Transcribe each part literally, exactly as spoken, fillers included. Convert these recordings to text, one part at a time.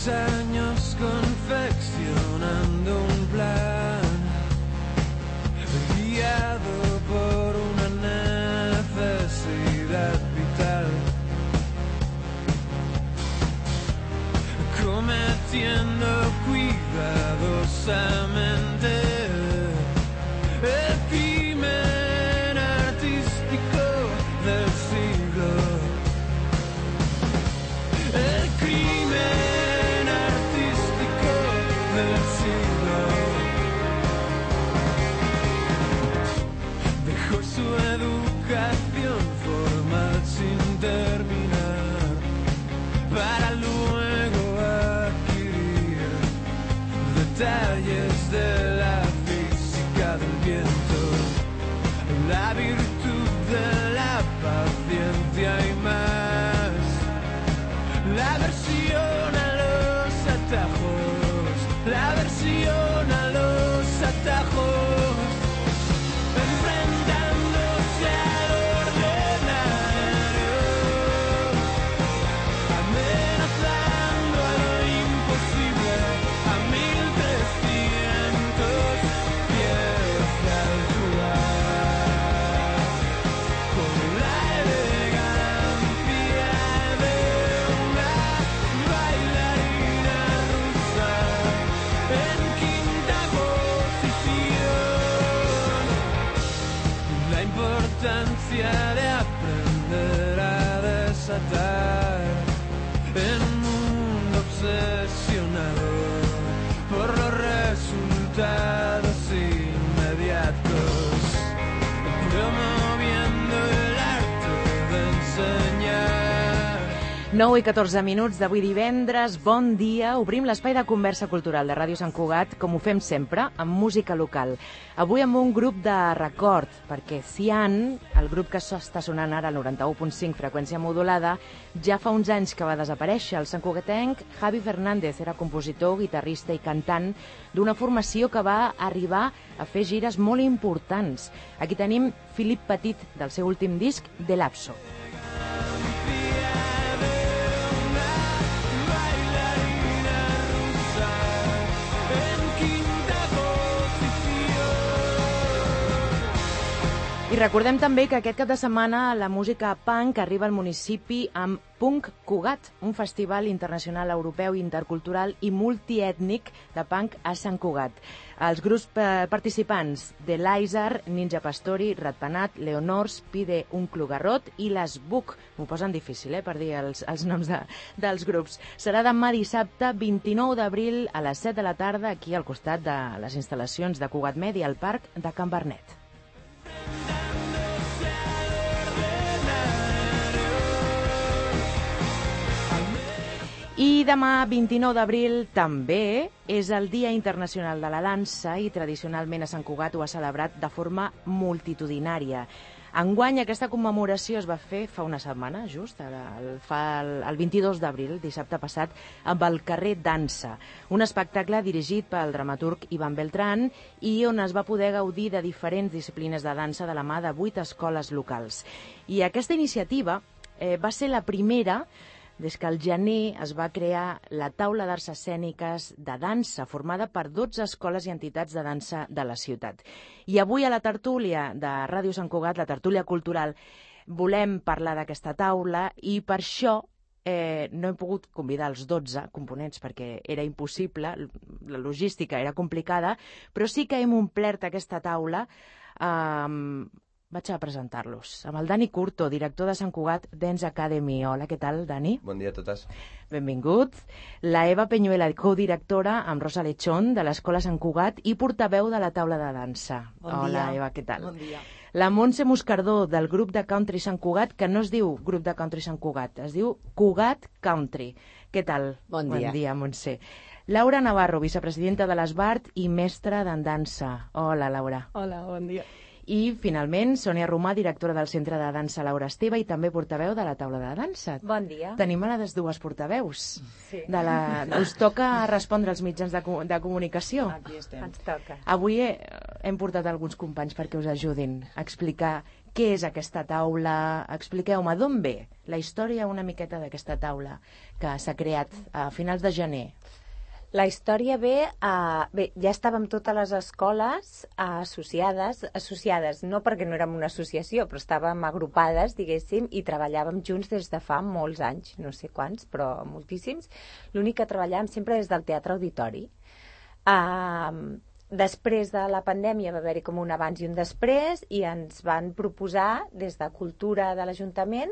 años confeccionando un plan, guiado por una necesidad vital, cometiendo cuidadosamente el crimen artístico del siglo. El crimen artístico del siglo. Dejó su educación formal sin terminar para luego adquirir detalles de la física del viento, la virtud de la paciencia y más. La versión a los atajos, la versión a los atajos, enfrentándose al ordinario, amenazando a lo imposible, a mil trescientos pies de altura, con la elegancia de una bailarina rusa en quinta posición. La importancia de aprender a desatar en un mundo obsesionado por los resultados inmediatos, promoviendo el arte de enseñar. nou i catorze minuts d'avui divendres, bon dia. Obrim l'espai de conversa cultural de Ràdio Sant Cugat, com ho fem sempre, amb música local. Avui amb un grup de record, perquè Cian, el grup que està sonant ara al noranta-u punt cinc freqüència modulada, ja fa uns anys que va desaparèixer. El santcugatenc Javi Fernández era compositor, guitarrista i cantant d'una formació que va arribar a fer gires molt importants. Aquí tenim Philip Petit, del seu últim disc, De Lapso. I recordem també que aquest cap de setmana la música punk arriba al municipi amb Punk Cugat, un festival internacional europeu intercultural i multiètnic de punk a Sant Cugat. Els grups participants de l'Aisar, Ninja Pastori, Ratpenat, Leonors, Pide un Clugarrot i les Buc. M'ho posen difícil, eh, per dir els, els noms de, dels grups. Serà demà dissabte, vint-i-nou d'abril, a les set de la tarda, aquí al costat de les instal·lacions de Cugat Media, al Parc de Can Bernet. I demà, vint-i-nou d'abril, també és el Dia Internacional de la Dansa i tradicionalment a Sant Cugat ho ha celebrat de forma multitudinària. Enguany aquesta commemoració es va fer fa una setmana, just, el, fa el, el vint-i-dos d'abril, dissabte passat, amb el Carrer Dansa, un espectacle dirigit pel dramaturg Ivan Beltrán i on es va poder gaudir de diferents disciplines de dansa de la mà de vuit escoles locals. I aquesta iniciativa eh, va ser la primera des que al gener es va crear la taula d'arts escèniques de dansa, formada per dotze escoles i entitats de dansa de la ciutat. I avui a la tertúlia de Ràdio Sant Cugat, la tertúlia cultural, volem parlar d'aquesta taula i per això eh, no hem pogut convidar els dotze components perquè era impossible, la logística era complicada, però sí que hem omplert aquesta taula amb... Eh, Vaig a presentar-los. Amb el Dani Curto, director de Sant Cugat Dance Academy. Hola, què tal, Dani? Bon dia a totes. Benvingut. La Eva Peñuela, codirectora amb Rosa Lechón, de l'Escola Sant Cugat i portaveu de la taula de dansa. Bon Hola, dia. Eva, què tal? Bon dia. La Montse Moscardó, del grup de country Sant Cugat, que no es diu grup de country Sant Cugat, es diu Cugat Country. Què tal? Bon dia. Bon dia, Montse. Laura Navarro, vicepresidenta de l'Esbart i mestra d'en dansa. Hola, Laura. Hola, bon dia. I, finalment, Sònia Romà, directora del Centre de Dansa Laura Esteve i també portaveu de la taula de dansa. Bon dia. Tenim a les dues portaveus. Sí. De la... Us toca respondre als mitjans de, co de comunicació. Aquí estem. Ens toca. Avui he, hem portat alguns companys perquè us ajudin a explicar què és aquesta taula? Expliqueu-me, d'on ve la història una miqueta d'aquesta taula que s'ha creat a finals de gener? La història ve, a... bé, ja estàvem totes les escoles associades, associades no perquè no érem una associació, però estàvem agrupades, diguéssim, i treballàvem junts des de fa molts anys, no sé quants, però moltíssims. L'únic que treballàvem sempre des del Teatre Auditori. Uh, després de la pandèmia va haver-hi com un abans i un després i ens van proposar des de Cultura de l'Ajuntament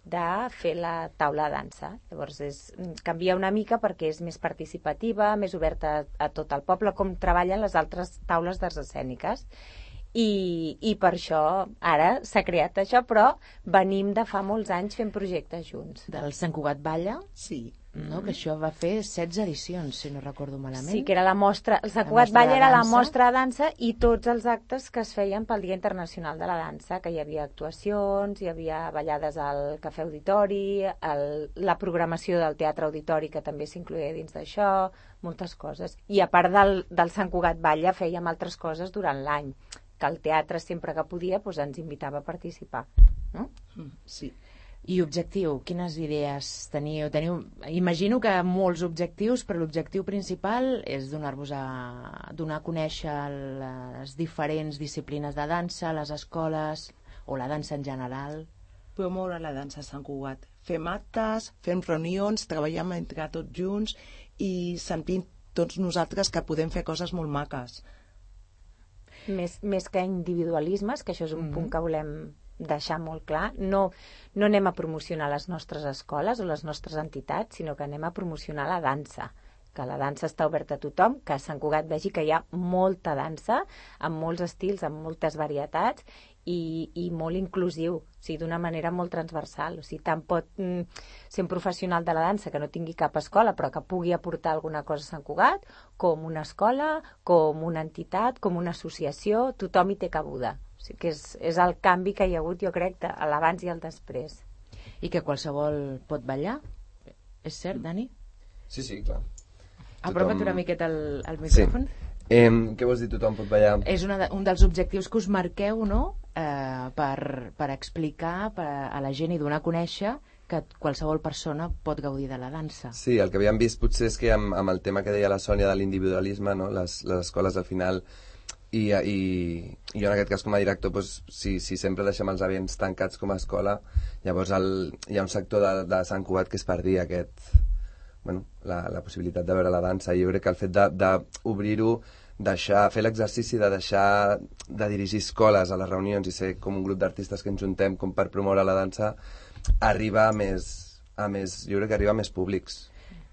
de fer la taula de dansa. Llavors és, canvia una mica perquè és més participativa, més oberta a, a tot el poble, com treballen les altres taules d'arts escèniques. I, i per això ara s'ha creat això, però venim de fa molts anys fent projectes junts. Del Sant Cugat Balla? Sí. No, que això va fer setze edicions, si no recordo malament. Sí, que era la mostra, el Sant Cugat Balla era la mostra de dansa i tots els actes que es feien pel Dia Internacional de la Dansa, que hi havia actuacions, hi havia ballades al Cafè Auditori, el, la programació del Teatre Auditori, que també s'incloïa dins d'això, moltes coses. I a part del, del Sant Cugat Balla fèiem altres coses durant l'any, que el teatre sempre que podia doncs, ens invitava a participar. No? Sí. I objectiu, quines idees teniu? teniu? Imagino que molts objectius, però l'objectiu principal és donar-vos a donar a conèixer les diferents disciplines de dansa, les escoles o la dansa en general. Promoure la dansa a Sant Cugat. Fem actes, fem reunions, treballem entre tots junts i sentim tots nosaltres que podem fer coses molt maques. Més, més que individualismes, que això és un mm-hmm. punt que volem deixar molt clar, no, no anem a promocionar les nostres escoles o les nostres entitats, sinó que anem a promocionar la dansa, que la dansa està oberta a tothom, que a Sant Cugat vegi que hi ha molta dansa, amb molts estils, amb moltes varietats, i, i molt inclusiu, o sigui, d'una manera molt transversal. O sigui, tant pot mm, ser un professional de la dansa que no tingui cap escola, però que pugui aportar alguna cosa a Sant Cugat, com una escola, com una entitat, com una associació, tothom hi té cabuda. O sigui que és, és el canvi que hi ha hagut, jo crec, a l'abans i el després. I que qualsevol pot ballar? És cert, Dani? Sí, sí, clar. Apropa't una miqueta el, el micròfon. Sí. Eh, què vols dir tothom pot ballar? És una de, un dels objectius que us marqueu, no?, eh, per, per explicar per a la gent i donar a conèixer que qualsevol persona pot gaudir de la dansa. Sí, el que havíem vist potser és que amb, amb el tema que deia la Sònia de l'individualisme, no?, les, les escoles al final... I, i, i jo en aquest cas com a director doncs, si, si sempre deixem els ambients tancats com a escola, llavors el, hi ha un sector de, de Sant Cugat que es perdia aquest, bueno, la, la possibilitat de veure la dansa, i jo crec que el fet d'obrir-ho, deixar, fer l'exercici de deixar de dirigir escoles a les reunions i ser com un grup d'artistes que ens juntem com per promoure la dansa, arriba a més, a més, jo crec que arriba a més públics.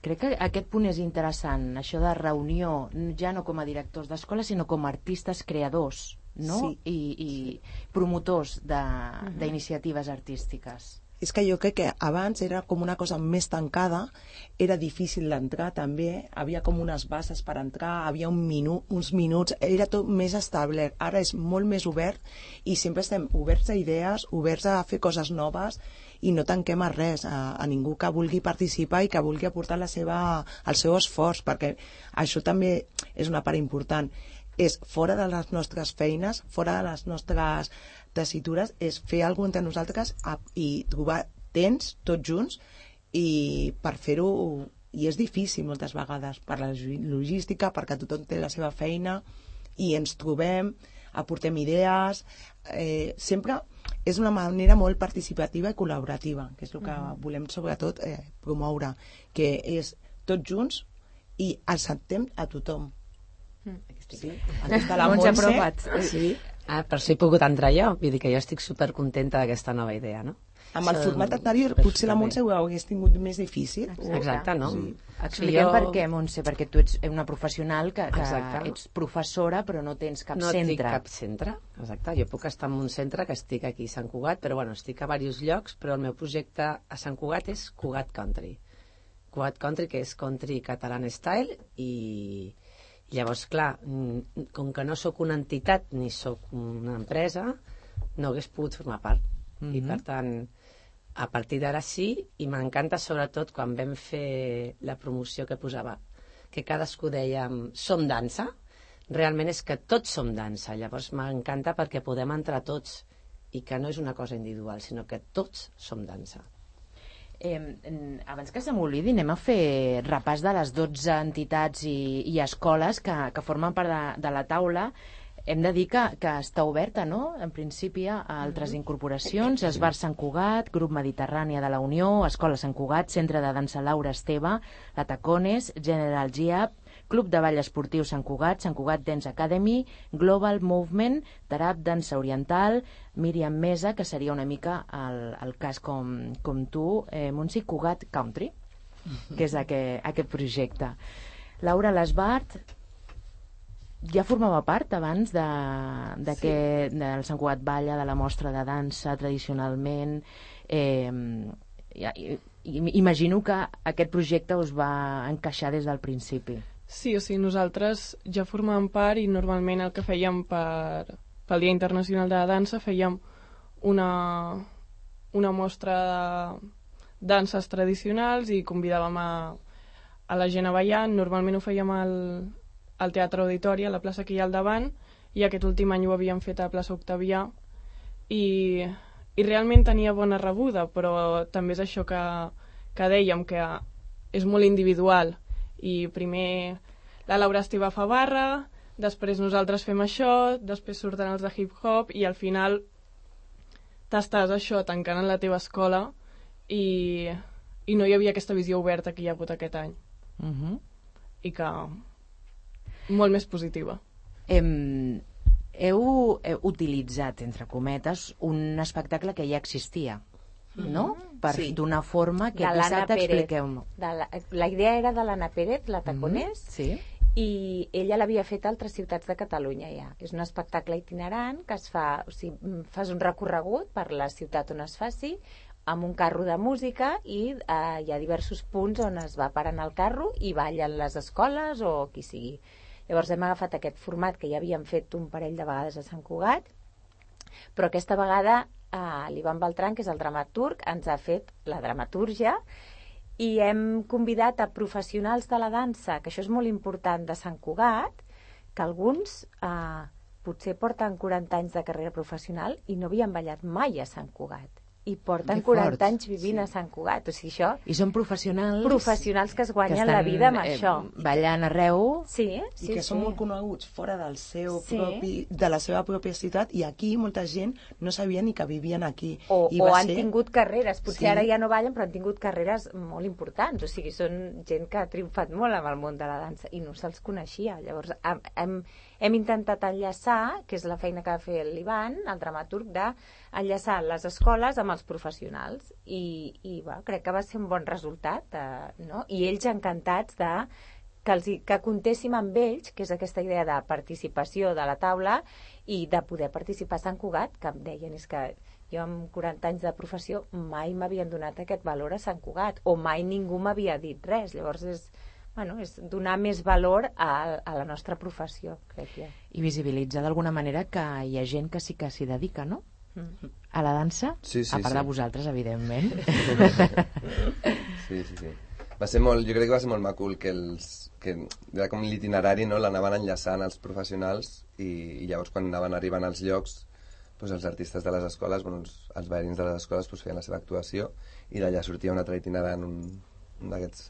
Crec que aquest punt és interessant, això de reunió, ja no com a directors d'escola, sinó com a artistes creadors, no? Sí. I, i promotors d'iniciatives artístiques. És que jo crec que abans era com una cosa més tancada, era difícil d'entrar també, havia com unes bases per entrar, havia un minu, uns minuts, era tot més establert. Ara és molt més obert i sempre estem oberts a idees, oberts a fer coses noves i no tanquem a res, a, a ningú que vulgui participar i que vulgui aportar la seva, el seu esforç, perquè això també és una part important. És fora de les nostres feines, fora de les nostres tessitures, és fer alguna cosa entre nosaltres a, i trobar temps tots junts i per fer-ho, i és difícil moltes vegades per la logística, perquè tothom té la seva feina i ens trobem, aportem idees, eh, sempre és una manera molt participativa i col·laborativa, que és el que mm. volem sobretot eh, promoure, que és tots junts i acceptem a tothom. Mm. Sí. Aquesta la Montse, sí. Ah, per això he pogut entrar jo, vull dir que jo estic supercontenta d'aquesta nova idea, no? Amb el format anterior potser la Montse ho hagués tingut més difícil. Exacte, no? Sí. Expliquem per què, Montse, perquè tu ets una professional que, que Exacte. ets professora però no tens cap no centre. No tinc cap centre, exacte. Jo puc estar en un centre que estic aquí a Sant Cugat, però bueno, estic a diversos llocs, però el meu projecte a Sant Cugat és Cugat Country. Cugat Country, que és country catalan style, i llavors, clar, com que no sóc una entitat ni sóc una empresa, no hagués pogut formar part. Mm-hmm. I per tant, a partir d'ara sí, i m'encanta sobretot quan vam fer la promoció que posava, que cadascú deia som dansa, realment és que tots som dansa, llavors m'encanta perquè podem entrar tots i que no és una cosa individual, sinó que tots som dansa. Eh, abans que se m'oblidi, anem a fer repàs de les dotze entitats i, i escoles que, que formen part de, de la taula. Hem de dir que, que està oberta, no?, en principi, a altres incorporacions. Esbar Sant Cugat, Grup Mediterrània de la Unió, Escola Sant Cugat, Centre de Dansa Laura Esteve, la Tacones, General G A P, Club de Ball Esportiu Sant Cugat, Sant Cugat Dance Academy, Global Movement, Tarab Dansa Oriental, Míriam Mesa, que seria una mica el, el cas com, com tu, eh, Montse Cugat Country, que és aquest, aquest projecte. Laura Lesbart, ja formava part abans de, de sí. que, del Sant Cugat Balla, de la mostra de dansa tradicionalment. Eh, ja, imagino que aquest projecte us va encaixar des del principi. Sí, o sigui, nosaltres ja formàvem part i normalment el que fèiem per, pel Dia Internacional de la Dansa fèiem una, una mostra de danses tradicionals i convidàvem a, a la gent a ballar. Normalment ho fèiem al, al Teatre Auditori, a la plaça que hi ha al davant, i aquest últim any ho havíem fet a la plaça Octavià i, i realment tenia bona rebuda, però també és això que, que dèiem, que és molt individual. I primer la Laura Esteve fa barra, després nosaltres fem això, després surten els de hip-hop i al final t'estàs això tancant en la teva escola i, i no hi havia aquesta visió oberta que hi ha hagut aquest any. Uh-huh. I que molt més positiva. Hem, heu, heu utilitzat, entre cometes, un espectacle que ja existia, no? Per Sí. donar forma que De l'Anna dissabte Pérez. expliqueu-me. De la, la idea era de l'Anna Pérez, la Taconés, Sí. i ella l'havia fet a altres ciutats de Catalunya ja. És un espectacle itinerant que es fa, o sigui, fas un recorregut per la ciutat on es faci, amb un carro de música i eh, hi ha diversos punts on es va parant el carro i ballen les escoles o qui sigui. Llavors hem agafat aquest format que ja havíem fet un parell de vegades a Sant Cugat, però aquesta vegada eh, l'Ivan Beltran, que és el dramaturg, ens ha fet la dramatúrgia i hem convidat a professionals de la dansa, que això és molt important, de Sant Cugat, que alguns eh, potser porten quaranta anys de carrera professional i no havien ballat mai a Sant Cugat. I porten Que quaranta fort, anys vivint sí. a Sant Cugat. O sigui, això... I són professionals... Professionals que es guanyen que estan, la vida amb eh, això. ballant arreu. Sí, I sí, que sí. són molt coneguts fora del seu Sí. propi, de la seva pròpia ciutat, i aquí molta gent no sabia ni que vivien aquí. O, I o va han ser... tingut carreres, potser Sí. ara ja no ballen, però han tingut carreres molt importants, o sigui, són gent que ha triomfat molt amb el món de la dansa i no se'ls coneixia. Llavors hem, hem, hem intentat enllaçar, que és la feina que va fer l'Ivan, el dramaturg, d'enllaçar les escoles amb els professionals i, i va, crec que va ser un bon resultat, eh, no? I ells encantats de que, els, hi- que comptéssim amb ells, que és aquesta idea de participació de la taula i de poder participar a Sant Cugat, que em deien és que jo amb quaranta anys de professió mai m'havien donat aquest valor a Sant Cugat o mai ningú m'havia dit res. Llavors és, bueno, és donar més valor a, a la nostra professió, crec jo. I visibilitzar d'alguna manera que hi ha gent que sí que s'hi dedica, no? Mm. A la dansa, Sí, sí, a part sí. de vosaltres, evidentment. Sí, sí, sí. Va ser molt, jo crec que va ser molt macul que els que era com l'itinerari, no? L'anaven enllaçant els professionals i, i llavors quan anaven arribant als llocs doncs els artistes de les escoles, bueno, els, els ballarins de les escoles doncs feien la seva actuació i d'allà sortia un altre itinerant, un, un d'aquests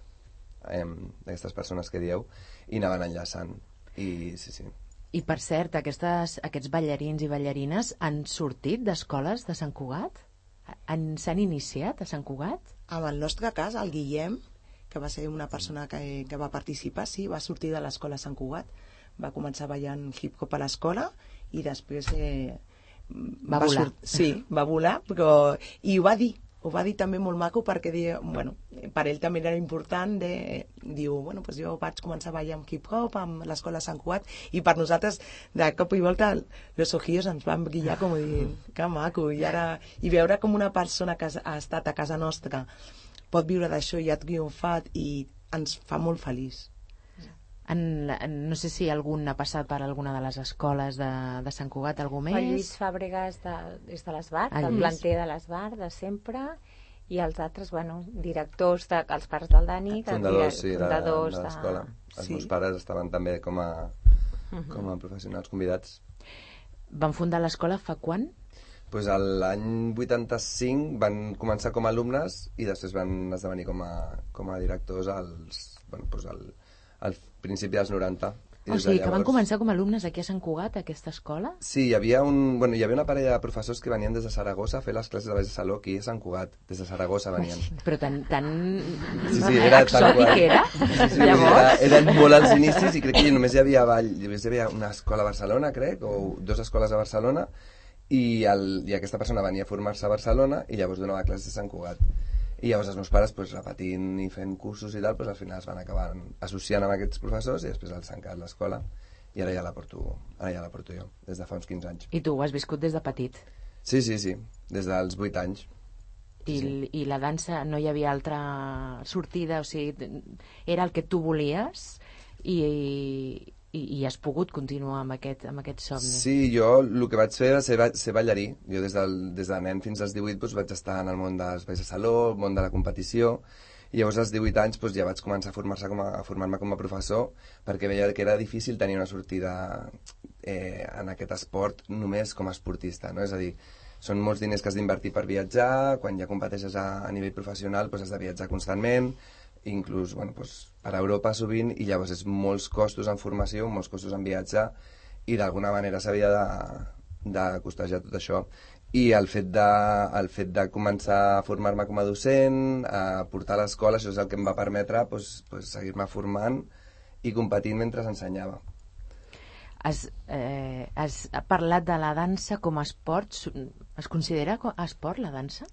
eh, d'aquestes persones que dieu, i anaven enllaçant i sí, sí. I per cert, aquestes, aquests ballarins i ballarines han sortit d'escoles de Sant Cugat? Han- S'han iniciat a Sant Cugat? En el nostre cas, el Guillem, que va ser una persona que, que va participar, sí, va sortir de l'escola Sant Cugat, va començar ballant hip-hop a l'escola i després eh, Va volar. sí, va volar, però i ho va dir, ho va dir també molt maco perquè diu, bueno, per ell també era important de, diu, bueno, pues jo vaig començar a ballar amb hip-hop amb l'escola Sant Cugat i per nosaltres de cop i volta los ojillos ens van brillar com dient, que maco, i ara i veure com una persona que ha estat a casa nostra pot viure d'això i ha triomfat i ens fa molt feliç. En, en, no sé si algun ha passat per alguna de les escoles de, de Sant Cugat, algú més? El Lluís Fàbregas de, és de l'Esbar, El del Lluís. planter de l'Esbar, de sempre, i els altres, bueno, directors, de, els pares del Dani, que Fundadors, sí, de, fundadors de l'escola. Els Sí. meus pares estaven també com a, com a professionals convidats. Van fundar l'escola fa quan? pues l'any vuitanta-cinc van començar com a alumnes i després van esdevenir com a, com a directors als, bueno, pues al, al principi dels noranta. I O des de sigui, que van llavors- començar com a alumnes aquí a Sant Cugat, a aquesta escola? Sí, hi havia, un, bueno, hi havia una parella de professors que venien des de Saragossa a fer les classes de baix de saló aquí a Sant Cugat. Des de Saragossa venien. Però tan, tan Sí, sí, era tal exòtic qual. era. Sí, sí, Llavors... era, eren molt als inicis i crec que només hi havia, ball, només hi havia una escola a Barcelona, crec, o dues escoles a Barcelona, i, el, i aquesta persona venia a formar-se a Barcelona i llavors donava classes a Sant Cugat. I llavors els meus pares, pues, repetint i fent cursos i tal, pues, al final es van acabar associant amb aquests professors i després els han quedat l'escola i ara ja la porto, ara ja la porto jo, des de fa uns quinze anys. I tu ho has viscut des de petit? Sí, sí, sí, des dels vuit anys. I, Sí. I la dansa no hi havia altra sortida, o sigui, era el que tu volies i, i, i has pogut continuar amb aquest, amb aquest somni. Sí, jo el que vaig fer va ser, va- ser ballarí. Jo des, del, des de nen fins als divuit doncs, vaig estar en el món dels balls de saló, el món de la competició, i llavors als divuit anys doncs, ja vaig començar a formar-se com a, a formar-me com a professor perquè veia que era difícil tenir una sortida eh, en aquest esport només com a esportista, no? És a dir, són molts diners que has d'invertir per viatjar, quan ja competeixes a, a nivell professional doncs has de viatjar constantment, inclús bueno, doncs, per Europa sovint, i llavors és molts costos en formació, molts costos en viatjar, i d'alguna manera s'havia de, de costejar tot això. I el fet, de, el fet de començar a formar-me com a docent, a portar a l'escola, això és el que em va permetre doncs, doncs, seguir-me formant i competint mentre ensenyava. Has, eh, has parlat de la dansa com a esport. Es considera co- esport, la dansa?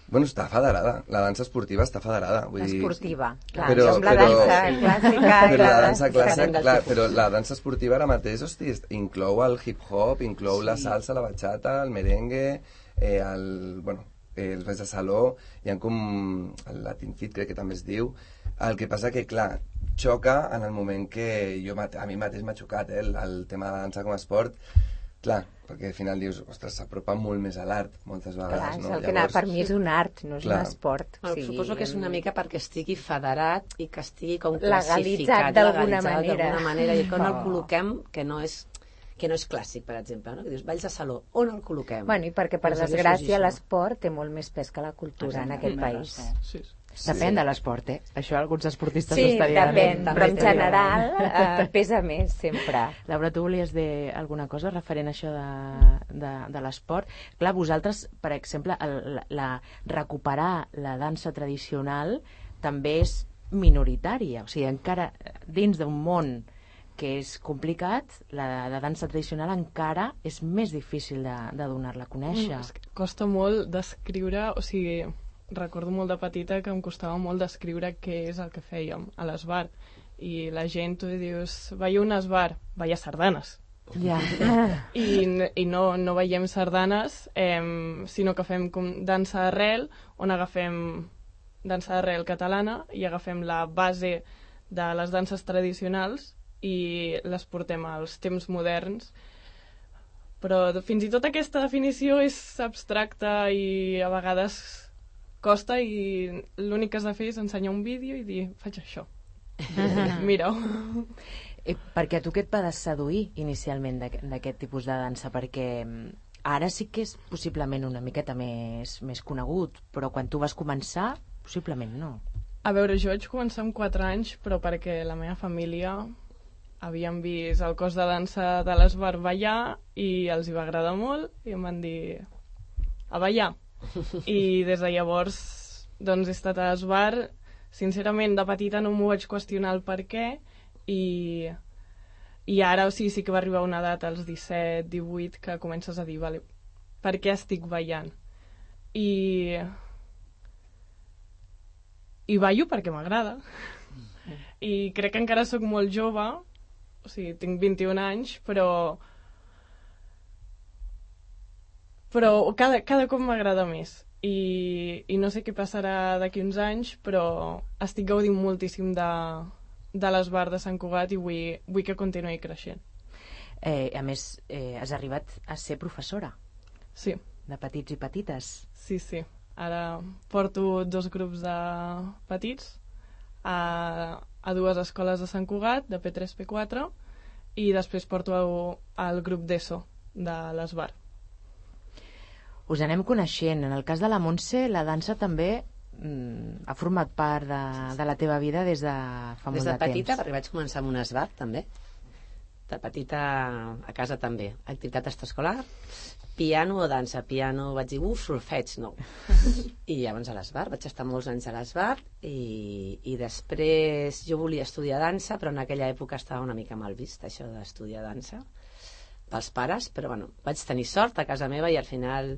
Bueno, està federada, la dansa esportiva està federada. Vull dir, Esportiva, clar, Però- com la però- dansa clàssica. i Però la dansa clàssica, diferent. clar, però la dansa esportiva ara mateix, hosti, inclou el hip-hop, inclou sí. la salsa, la bachata, el merengue, eh, el, bueno, eh, els balls de saló, hi ha com el Latin Fit, crec que també es diu. El que passa que, clar, xoca en el moment que jo, mate- a mi mateix m'ha xocat, eh, el, el tema de la dansa com a esport, clar, perquè al final dius, ostres, s'apropa molt més a l'art, moltes Clar, vegades, és no? el que anava, per mi és un art, no és Clar. un esport. Bueno, suposo que és una mica perquè estigui federat i que estigui com Legalitzat classificat, d'alguna legalitzat manera. d'alguna manera, i que no el Oh. col·loquem, que no és que no és clàssic, per exemple, no? Que dius, balls de saló, on el col·loquem? Bueno, i perquè, per Doncs hauria desgràcia, sorgit això. l'esport té molt més pes que la cultura en aquest país. Sí. Depèn de l'esport, eh? Això alguns esportistes Sí, ho estarien... depèn, també però en t'ho diuen. general eh, pesa més sempre. Laura, tu volies dir alguna cosa referent a això de, de, de l'esport? Clar, vosaltres, per exemple, el, la, la, recuperar la dansa tradicional també és minoritària. O sigui, encara dins d'un món que és complicat, la, la dansa tradicional encara és més difícil de, de donar-la a conèixer. Mm, és que costa molt descriure, o sigui, recordo molt de petita que em costava molt descriure què és el que fèiem a l'esbar. I la gent, tu dius, veieu un esbar, veia sardanes. Ja. I, i no, no veiem sardanes, eh, sinó que fem com dansa d'arrel, on agafem dansa d'arrel catalana i agafem la base de les danses tradicionals i les portem als temps moderns. Però fins i tot aquesta definició és abstracta i a vegades costa, i l'únic que has de fer és ensenyar un vídeo i dir, faig això. Mira-ho. Eh, perquè a tu què et va seduir inicialment d'aquest d'aquest tipus de dansa? Perquè mm, ara sí que és possiblement una miqueta més, més conegut, però quan tu vas començar, possiblement no. A veure, jo vaig començar amb quatre anys, però perquè la meva família havien vist el cos de dansa de l'Esbar ballar i els hi va agradar molt i em van dir a ballar. I des de llavors doncs he estat a l'Esbar. Sincerament, de petita no m'ho vaig qüestionar el per què, i, i ara o sigui, sí que va arribar una edat als disset, divuit, que comences a dir, vale, per què estic ballant? I, i ballo perquè m'agrada. I crec que encara sóc molt jove, o sigui, tinc vint-i-un anys, però però cada, cada cop m'agrada més. I, i no sé què passarà d'aquí uns anys, però estic gaudint moltíssim de, de l'Esbar de Sant Cugat i vull, vull que continuï creixent. Eh, a més, eh, has arribat a ser professora Sí, de petits i petites. sí, sí. Ara porto dos grups de petits a, a dues escoles de Sant Cugat, de P tres P quatre, i després porto el, el grup d'ESO de l'Esbar. us anem coneixent. En el cas de la Montse, la dansa també mm, ha format part de, de la teva vida des de fa Des molt de de petita, temps. perquè vaig començar amb un esbart, també. De petita a casa també. Activitat extraescolar, piano o dansa. Piano vaig dir, uf, solfeig, no. I llavors a l'Esbart, vaig estar molts anys a l'Esbart i, i després jo volia estudiar dansa, però en aquella època estava una mica mal vist, això d'estudiar dansa, pels pares, però bueno, vaig tenir sort a casa meva i al final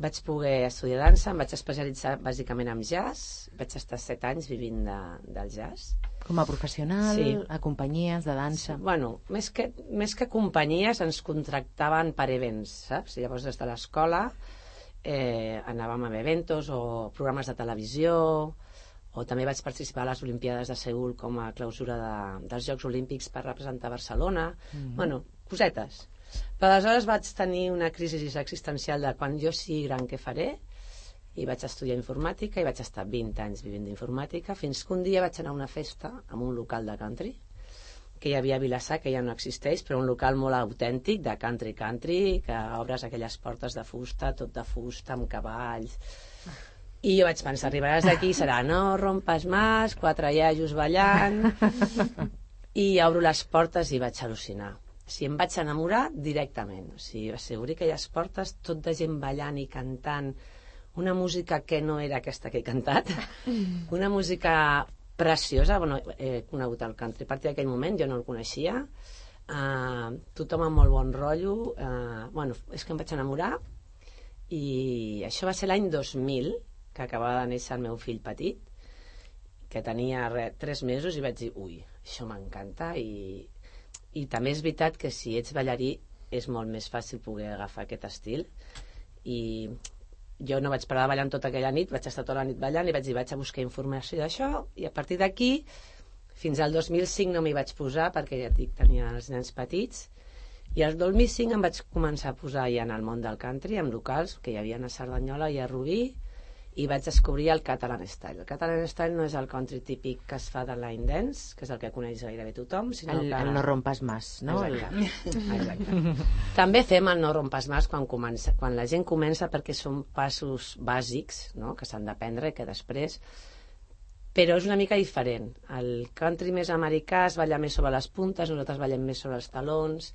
vaig poder estudiar dansa, em vaig especialitzar bàsicament en jazz, vaig estar set anys vivint de, del jazz. Com a professional, Sí. a companyies de dansa. Bueno, més que, més que companyies ens contractaven per events, saps? Llavors des de l'escola eh, anàvem a eventos o programes de televisió, o també vaig participar a les Olimpiades de Seül com a clausura de, dels Jocs Olímpics per representar Barcelona. Mm-hmm. Bueno, cosetes. Però aleshores vaig tenir una crisi existencial de quan jo sigui gran què faré, i vaig estudiar informàtica i vaig estar vint anys vivint d'informàtica, fins que un dia vaig anar a una festa en un local de country que hi havia a Vilassar, que ja no existeix, però un local molt autèntic de country country, que obres aquelles portes de fusta, tot de fusta, amb cavalls. I jo vaig pensar, arribaràs d'aquí i serà no rompes más, quatre iaios ballant, i obro les portes i vaig al·lucinar. O sigui, em vaig enamorar directament. O sigui, va ser obrir aquelles portes, tot de gent ballant i cantant, una música que no era aquesta que he cantat, una música preciosa. Bueno, he conegut el country a partir d'aquell moment, jo no el coneixia, uh, tothom amb molt bon rotllo, uh, bueno, és que em vaig enamorar, i això va ser l'any dos mil, que acabava de néixer el meu fill petit, que tenia re, tres mesos, i vaig dir, ui, això m'encanta, i, i també és veritat que si ets ballarí és molt més fàcil poder agafar aquest estil, i jo no vaig parar de ballar tota aquella nit, vaig estar tota la nit ballant i vaig dir, vaig a buscar informació d'això, i a partir d'aquí fins al dos mil cinc no m'hi vaig posar perquè ja et dic, tenia els nens petits, i al dos mil cinc em vaig començar a posar ja en el món del country, amb locals que hi havia a Cerdanyola i a Rubí, i vaig descobrir el Catalan Style. El Catalan Style no és el country típic que es fa de line dance, que és el que coneix gairebé tothom, sinó El, que... el no rompes más, no? Exacte. Exacte. També fem el no rompes más quan, comença, quan la gent comença, perquè són passos bàsics, no?, que s'han d'aprendre i que després... Però és una mica diferent. El country més americà es balla més sobre les puntes, nosaltres ballem més sobre els talons,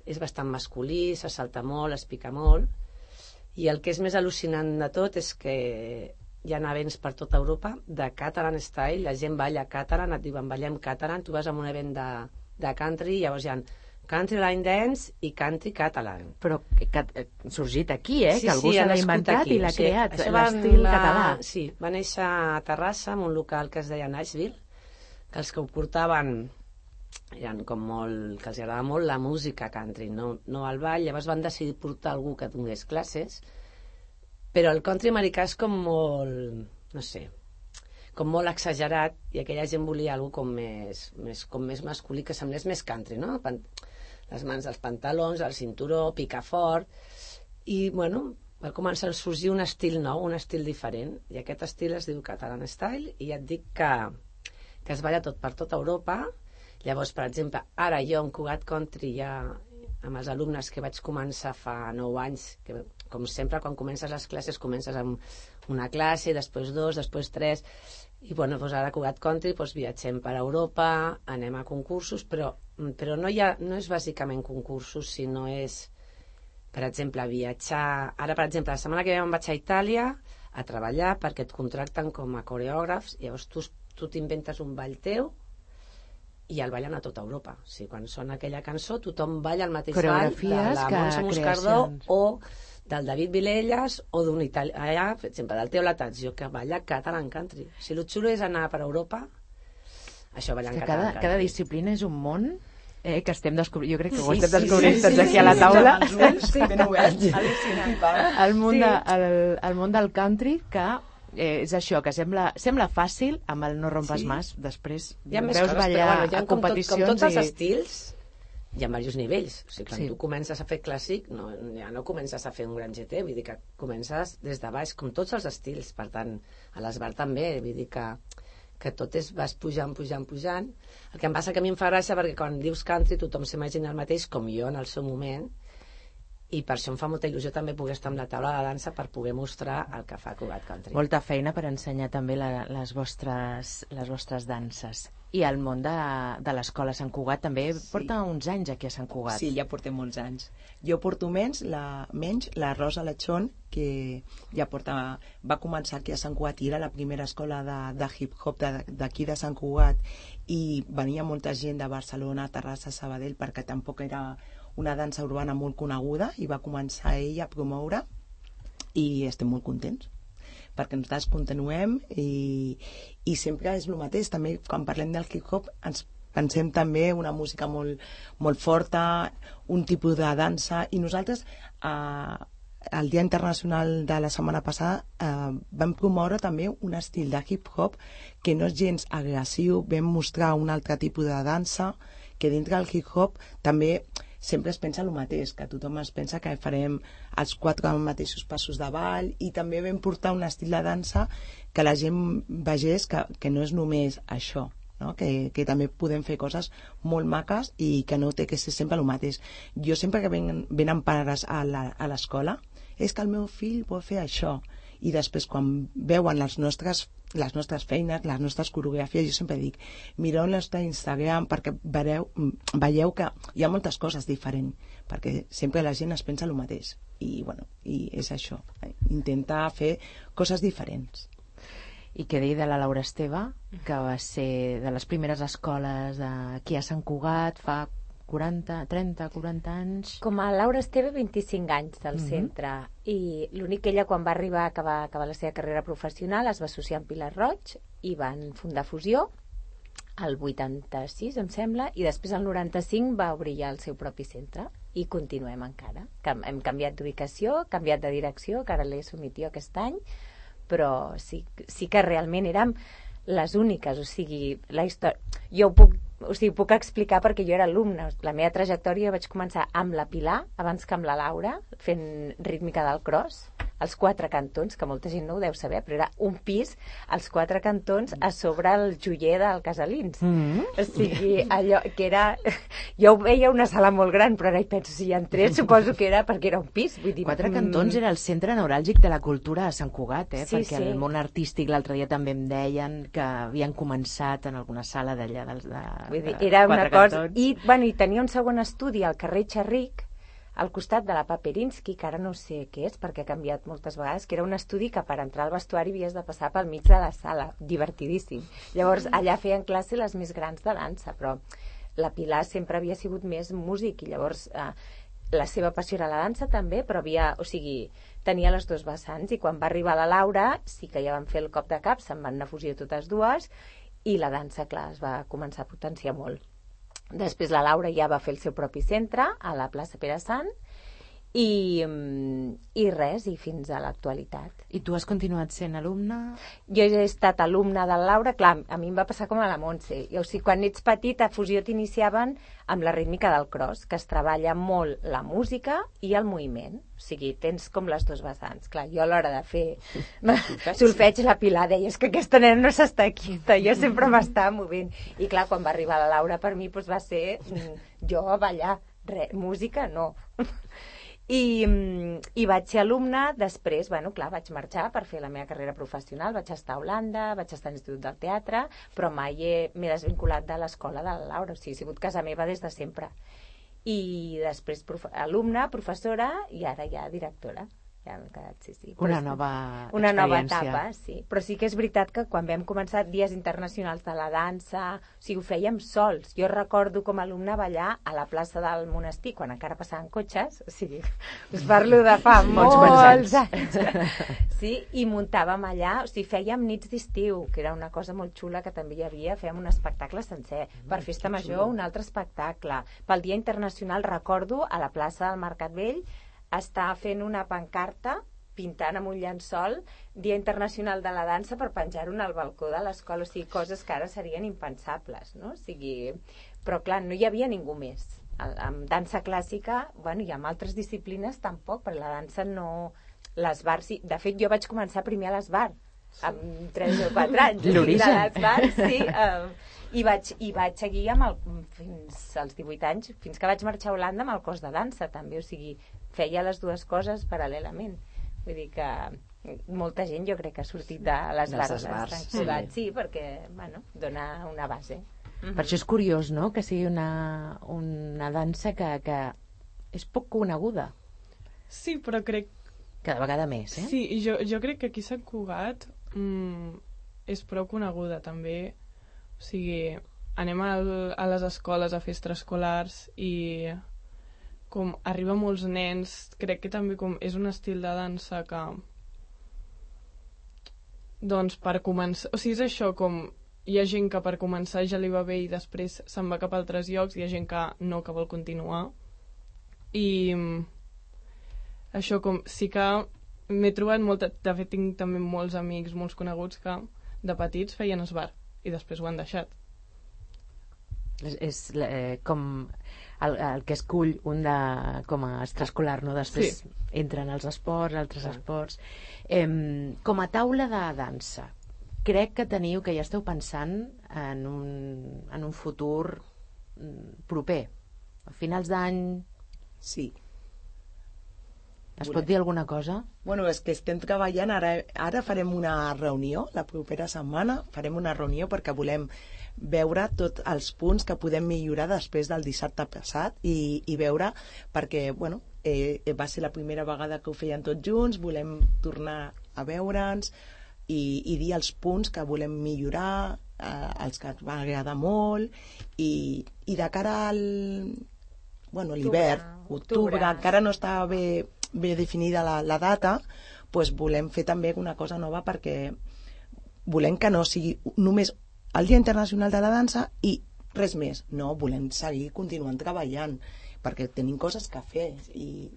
és bastant masculí, se salta molt, es pica molt, i el que és més al·lucinant de tot és que hi ha events per tota Europa de Catalan Style, la gent balla catalan, et diuen ballem catalan, tu vas a un event de, de country, llavors hi ha country line dance i country catalan. Però que, que ha sorgit aquí, eh? Sí, que algú sí, se ha l'ha nascut inventat aquí. i l'ha O sigui, creat, això va- l'estil va- català. Sí, va néixer a Terrassa, en un local que es deia Nashville, que els que ho portaven eren com molt, que els agradava molt la música country, no, no el ball. Llavors van decidir portar algú que donés classes, però el country americà és com molt, no sé, com molt exagerat, i aquella gent volia algú com més, més, com més masculí, que semblés més country, no? Pan- les mans als pantalons, el cinturó, picar fort, i bueno, va començar a sorgir un estil nou, un estil diferent, i aquest estil es diu Catalan Style, i ja et dic que, que es balla tot per tota Europa. Llavors, per exemple, ara jo en Cugat Country ja amb els alumnes que vaig començar fa nou anys, que com sempre quan comences les classes comences amb una classe, després dos, després tres, i bueno, doncs ara a Cugat Country doncs viatgem per Europa, anem a concursos, però, però no, hi ha, no és bàsicament concursos, sinó és, per exemple, viatjar... Ara, per exemple, la setmana que ve em vaig a Itàlia a treballar perquè et contracten com a coreògrafs, llavors tu, tu t'inventes un ball teu i el ballen a tota Europa. O sigui, quan sona aquella cançó, tothom balla el mateix ball de Coreografies la que Montse Moscardó creacions. o del David Vilelles o d'un italià, per exemple, del Teo Latazio, que balla catalan country. O sigui, el xulo és anar per Europa, això ballant Que catalan cada, country. cada disciplina és un món eh, que estem descobrint, jo crec que ho Sí, estem sí, descobrint sí, tots sí, aquí sí, a la sí, taula. Amb els ulls ben oberts. El món, Sí. de, el, el món del country, que eh, és això, que sembla, sembla fàcil amb el no rompes Sí. más, després Hi ha més veus coses, ballar però bueno, hi ha a com, tot, competicions com tots els i... estils, hi ha diversos nivells. O sigui, quan Sí. tu comences a fer clàssic, no, ja no comences a fer un gran G T, vull dir que comences des de baix, com tots els estils. Per tant, a l'Esbart també, vull dir que, que tot és, vas pujant, pujant, pujant. El que em passa que a mi em fa gràcia perquè quan dius country tothom s'imagina el mateix, com jo en el seu moment, i per això em fa molta il·lusió també poder estar amb la taula de dansa per poder mostrar el que fa Cugat Country. Molta feina per ensenyar també la, les, vostres, les vostres danses. I el món de, de l'escola Sant Cugat també sí. porta uns anys aquí a Sant Cugat. Sí, ja portem molts anys. Jo porto menys, la, menys, la Rosa Lechón, que ja porta, va començar aquí a Sant Cugat i era la primera escola de, de hip-hop d'aquí de Sant Cugat, i venia molta gent de Barcelona, Terrassa, Sabadell, perquè tampoc era una dansa urbana molt coneguda, i va començar ella a promoure, i estem molt contents perquè nosaltres continuem, i, i sempre és el mateix. També quan parlem del hip-hop ens pensem també una música molt, molt forta, un tipus de dansa, i nosaltres eh, el Dia Internacional de la setmana passada eh, vam promoure també un estil de hip-hop que no és gens agressiu, vam mostrar un altre tipus de dansa, que dintre del hip-hop també sempre es pensa el mateix, que tothom es pensa que farem els quatre mateixos passos de ball, i també vam portar un estil de dansa que la gent vegés que, que no és només això, no? que, que també podem fer coses molt maques i que no té que ser sempre el mateix. Jo sempre que venen, venen pares a l'escola, és que el meu fill vol fer això, i després quan veuen les nostres, les nostres feines, les nostres coreografies, jo sempre dic, mireu el nostre Instagram perquè veureu, veieu que hi ha moltes coses diferents, perquè sempre la gent es pensa el mateix, i, bueno, i és això, intentar fer coses diferents. I què dir de la Laura Esteve, que va ser de les primeres escoles aquí a Sant Cugat fa quaranta, trenta, quaranta anys. Com a Laura Esteve, vint-i-cinc anys del Mhm. centre, i l'únic que ella, quan va arribar a acabar, acabar la seva carrera professional, es va associar amb Pilar Roig i van fundar Fusió el vuitanta-sis, em sembla, i després el noranta-cinc va obrir ja el seu propi centre, i continuem encara. Cam- Hem canviat d'ubicació, canviat de direcció, que ara l'he assumit jo aquest any, però sí, sí que realment érem les úniques, o sigui, la història... Jo ho puc, o sigui, puc explicar perquè jo era alumna. La meva trajectòria vaig començar amb la Pilar, abans que amb la Laura, fent rítmica del cross, als quatre cantons, que molta gent no ho deu saber, però era un pis als quatre cantons a sobre el joier del Casalins. Mm. O sigui, allò que era... Jo ho veia una sala molt gran, però ara hi penso, si hi entrés, suposo que era perquè era un pis. Vull dir, Quatre mm, Cantons era el centre neuràlgic de la cultura a Sant Cugat, eh? Sí, perquè sí. el món artístic l'altre dia també em deien que havien començat en alguna sala d'allà dels de, Vull dir, de era una Quatre cosa... Cantons. I, bueno, i tenia un segon estudi al carrer Xerric, al costat de la Paperinski, que ara no sé què és, perquè ha canviat moltes vegades, que era un estudi que per entrar al vestuari havies de passar pel mig de la sala, divertidíssim. Llavors, allà feien classe les més grans de dansa, però la Pilar sempre havia sigut més músic, i llavors eh, la seva passió era la dansa també, però havia, o sigui, tenia les dos vessants, i quan va arribar la Laura, sí que ja van fer el cop de cap, se'n van anar a Fusió totes dues, i la dansa, clar, es va començar a potenciar molt. Després la Laura ja va fer el seu propi centre a la plaça Pere Sant, i, i res, i fins a l'actualitat. I tu has continuat sent alumna? Jo he estat alumna de la Laura, clar, a mi em va passar com a la Montse. I, o sigui, quan ets petit, a Fusió t'iniciaven amb la rítmica del cross, que es treballa molt la música i el moviment. O sigui, tens com les dues vessants. Clar, jo a l'hora de fer solfeig, la Pilar deia, és que aquesta nena no s'està quieta, jo sempre m'estava movent. I clar, quan va arribar la Laura, per mi doncs, va ser mm, jo a ballar. Re, música, no. I, i vaig ser alumna, després, bueno, clar, vaig marxar per fer la meva carrera professional, vaig estar a Holanda, vaig estar a l'Institut del Teatre, però mai he- m'he desvinculat de l'escola de la Laura, o sigui, he sigut casa meva des de sempre. I després profe alumna, professora, i ara ja directora. Ja m'he quedat, sí, sí. Però Una és- nova Una nova experiència. etapa, sí. Però sí que és veritat que quan vam començar Dies Internacionals de la Dansa, o sigui, ho fèiem sols. Jo recordo com a alumna ballar a la plaça del Monestir, quan encara passaven cotxes, o sigui, us parlo de fa Molts molts quants anys. Sí, i muntàvem allà, o sigui, fèiem nits d'estiu, que era una cosa molt xula que també hi havia, fèiem un espectacle sencer. Per Festa Major, un altre espectacle. Pel Dia Internacional, recordo, a la plaça del Mercat Vell, està fent una pancarta pintant amb un llençol Dia Internacional de la Dansa per penjar-ho al balcó de l'escola, o sigui, coses que ara serien impensables, no? O sigui, però clar, no hi havia ningú més. El- Amb dansa clàssica, bueno, i amb altres disciplines tampoc, però la dansa no... L'esbar, sí. De fet, jo vaig començar primer a l'esbar, amb tres o quatre anys. L'origen. De l'esbar, sí. Um, i, vaig, I vaig seguir amb el, fins als divuit anys, fins que vaig marxar a Holanda amb el cos de dansa, també, o sigui, feia les dues coses paral·lelament. Vull dir que molta gent jo crec que ha sortit de les Dels bars esbars, de Sant sí. Cugat, sí, perquè, bueno, dona una base. Per això és curiós, no?, que sigui una, una dansa que, que és poc coneguda. Sí, però crec... Cada vegada més, eh? Sí, i jo, jo crec que aquí a Sant Cugat mm, és prou coneguda, també. O sigui, anem al, a les escoles a fer extraescolars i com arriba molts nens, crec que també com és un estil de dansa que doncs per començar, o sigui, és això, com hi ha gent que per començar ja li va bé i després se'n va cap a altres llocs, hi ha gent que no, que vol continuar, i això com sí que m'he trobat molta, de fet tinc també molts amics, molts coneguts que de petits feien esbar i després ho han deixat. És, és eh, com el, el que escull un de, com a extraescolar, no? Després sí. Entren als esports, altres ah. esports. Eh, com a taula de dansa, crec que teniu, que ja esteu pensant en un, en un futur proper, a finals d'any. Sí. Es pot dir alguna cosa? Bueno, és que estem treballant, ara, ara farem una reunió, la propera setmana farem una reunió perquè volem veure tots els punts que podem millorar després del dissabte passat i, i veure, perquè bueno, eh, va ser la primera vegada que ho feien tots junts, volem tornar a veure'ns i, i dir els punts que volem millorar, eh, els que ens va agradar molt, i, i de cara al bueno, l'hivern, octubre, octubre, encara no està bé, bé definida la, la data, doncs volem fer també una cosa nova perquè volem que no sigui només el Dia Internacional de la Dansa i res més. No, volem seguir continuant treballant perquè tenim coses que fer i,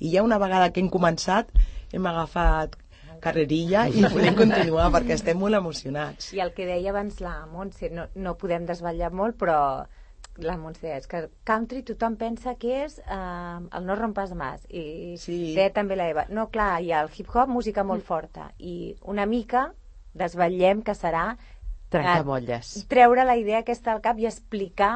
i ja una vegada que hem començat hem agafat carrerilla i volem continuar perquè estem molt emocionats. I el que deia abans la Montse, no, no podem desvetllar molt, però la Montse deia, és que country tothom pensa que és eh, el no rompas más, i sí. Deia també la Eva, no, clar, hi ha el hip-hop, música molt forta, i una mica desvetllem que serà trencar bolles, treure la idea aquesta al cap i explicar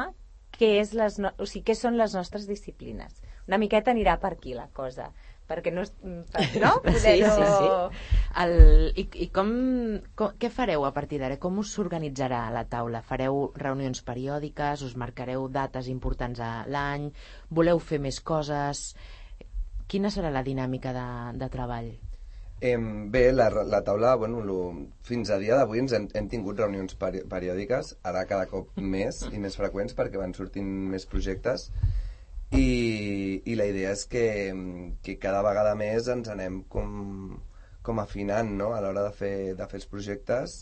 què, és les no... o sigui, què són les nostres disciplines. Una miqueta anirà per aquí la cosa, perquè no... no? Sí, sí, sí. El... I, i com, com, què fareu a partir d'ara? Com us s'organitzarà la taula? Fareu reunions periòdiques? Us marcareu dates importants a l'any? Voleu fer més coses? Quina serà la dinàmica de, de treball? Eh, bé, la, la taula, bueno, lo, fins a dia d'avui ens hem, hem tingut reunions peri periòdiques, ara cada cop més i més freqüents perquè van sortint més projectes i, i la idea és que, que cada vegada més ens anem com, com afinant, no?, a l'hora de, fer, de fer els projectes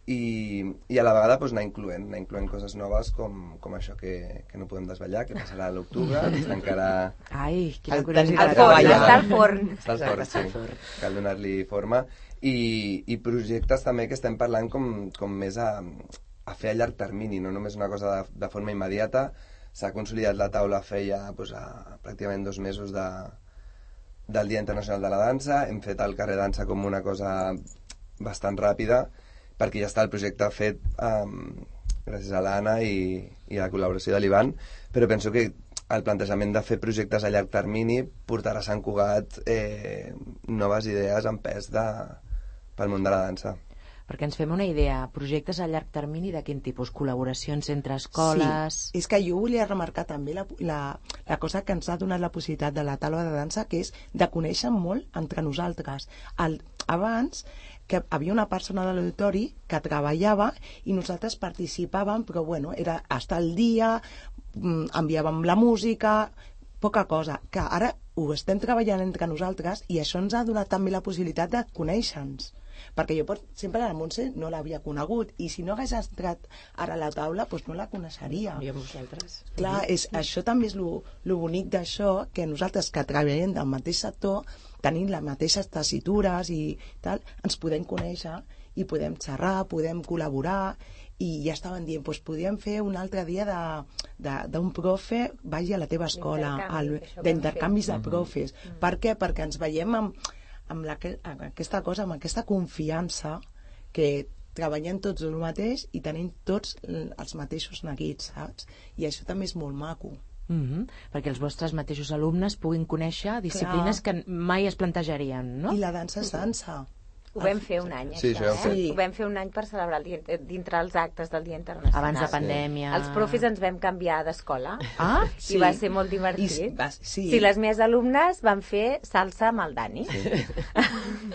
i, i a la vegada doncs, anar incloent, anar incloent coses noves com, com això que, que no podem desvetllar, que passarà a l'octubre, encara... Ai, quina curiositat. Està al forn. Està al forn, sí. Cal donar-li forma. I, I projectes també que estem parlant com, com més a, a fer a llarg termini, no només una cosa de, de forma immediata. S'ha consolidat la taula feia doncs, a, pràcticament dos mesos de, del Dia Internacional de la Dansa. Hem fet el carrer dansa com una cosa bastant ràpida, perquè ja està el projecte fet um, gràcies a l'Anna i, i a la col·laboració de l'Ivan, però penso que el plantejament de fer projectes a llarg termini portarà a Sant Cugat eh, noves idees en pes de, pel món de la dansa. Perquè ens fem una idea, projectes a llarg termini de quin tipus? Col·laboracions entre escoles? Sí, és que jo volia remarcar també la, la, la cosa que ens ha donat la possibilitat de la taula de dansa, que és de conèixer molt entre nosaltres. El, abans que havia una persona de l'auditori que treballava i nosaltres participàvem, però bueno, era estar al dia, enviàvem la música, poca cosa, que ara ho estem treballant entre nosaltres i això ens ha donat també la possibilitat de conèixer-nos, perquè jo pot, sempre la Montse no l'havia conegut i si no hagués entrat ara a la taula doncs no la coneixeria. I amb vosaltres. Clar, és, això també és lo, lo bonic d'això, que nosaltres que treballem del mateix sector tenim les mateixes tessitures i tal, ens podem conèixer i podem xerrar, podem col·laborar i ja estaven dient, doncs podríem fer un altre dia d'un profe vagi a la teva escola, d'intercanvis de profes. Mm -hmm. Per què? Perquè ens veiem amb, amb, la, amb aquesta cosa, amb aquesta confiança que treballem tots el mateix i tenim tots els mateixos neguits, saps? I això també és molt maco. Mm-hmm. Perquè els vostres mateixos alumnes puguin conèixer disciplines Clar. que mai es plantejarien, no? I la dansa és dansa. Ho vam fer un any, Sí, això, això ho eh? vam fer. Ho vam fer un any per celebrar el dia, dintre els actes del Dia Internacional. Abans de pandèmia. Els profes ens vam canviar d'escola. Ah, I va ser molt divertit. I, va, sí. Sí, les meves alumnes van fer salsa amb el Dani. Sí.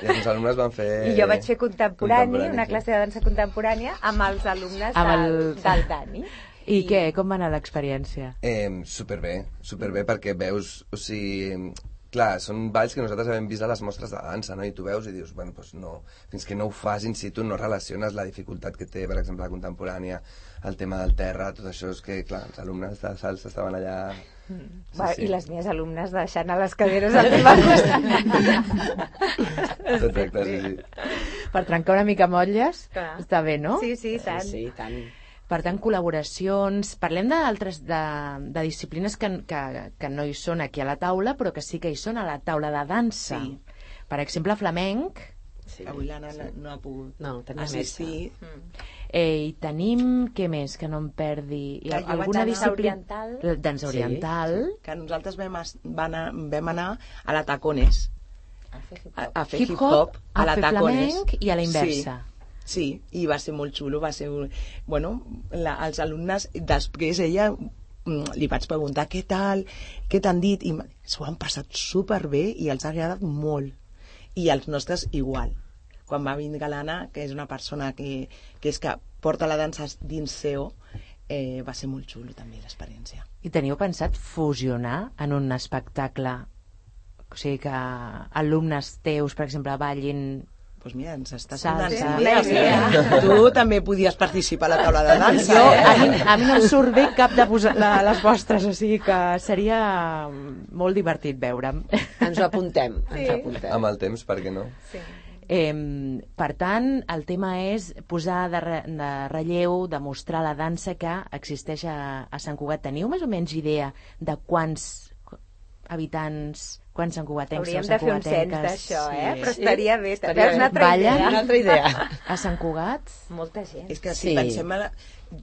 I els alumnes van fer... I jo vaig fer contemporani, contemporani, una sí. classe de dansa contemporània amb els alumnes Amb del, el- del Dani. I, I què? Com va anar l'experiència? Eh, superbé, superbé, perquè veus, o sigui, clar, són balls que nosaltres hem vist a les mostres de dansa, no? I tu veus i dius, bueno, doncs no, fins que no ho fas in situ no relaciones la dificultat que té, per exemple, la contemporània, el tema del terra, tot això és que, clar, els alumnes de salsa estaven allà... Sí, Va, sí. I les meves alumnes deixant a les caderes al meu costat. Exacte, sí, sí. Per trencar una mica motlles, Clar. està bé, no? Sí, sí, tant. Sí, sí, tant. Per tant, col·laboracions... Parlem d'altres de, de disciplines que, que, que no hi són aquí a la taula, però que sí que hi són a la taula de dansa. Sí. Per exemple, flamenc. Sí. Avui l'Anna no, no ha pogut No, tenia assistir. Eh, I tenim, què més, que no em perdi? Hi ha Clar, jo vaig alguna anar- disciplina... Oriental. La dansa Sí, oriental. Que nosaltres vam, es, van a, vam anar a la Tacones, A fer hip-hop. a, a fer Hip-hop, hip-hop a a la fer Tacones. flamenc i a la inversa. Sí. Sí, i va ser molt xulo, va ser... un- Bueno, la, els alumnes, després ella mm, li vaig preguntar què tal, què t'han dit, i s'ho han passat superbé i els ha agradat molt. I els nostres igual. Quan va vindre l'Anna, que és una persona que, que és que porta la dansa dins seu, eh, va ser molt xulo també l'experiència. I teniu pensat fusionar en un espectacle? O sigui, que alumnes teus, per exemple, ballin... Doncs pues mira, ens estàs Salsa. donant Una idea. Tu també podies participar a la taula de dansa. Jo, eh? a, mi, a mi no em surt bé cap de posar la, les vostres, o sigui que seria molt divertit veure'm. Ens ho apuntem, Sí. ens ho apuntem. Amb el temps, per què no? Sí. Eh, per tant, el tema és posar de, re, de relleu, demostrar la dansa que existeix a, a Sant Cugat. Teniu més o menys idea de quants habitants, quants santcugatencs Hauríem o de fer un cens santcugatenques? d'això, eh? Sí. Però estaria bé. Estaria Veus una bé. altra Ballen? idea? Una altra idea. A Sant Cugat? Molta gent. És que si Sí. pensem... A la...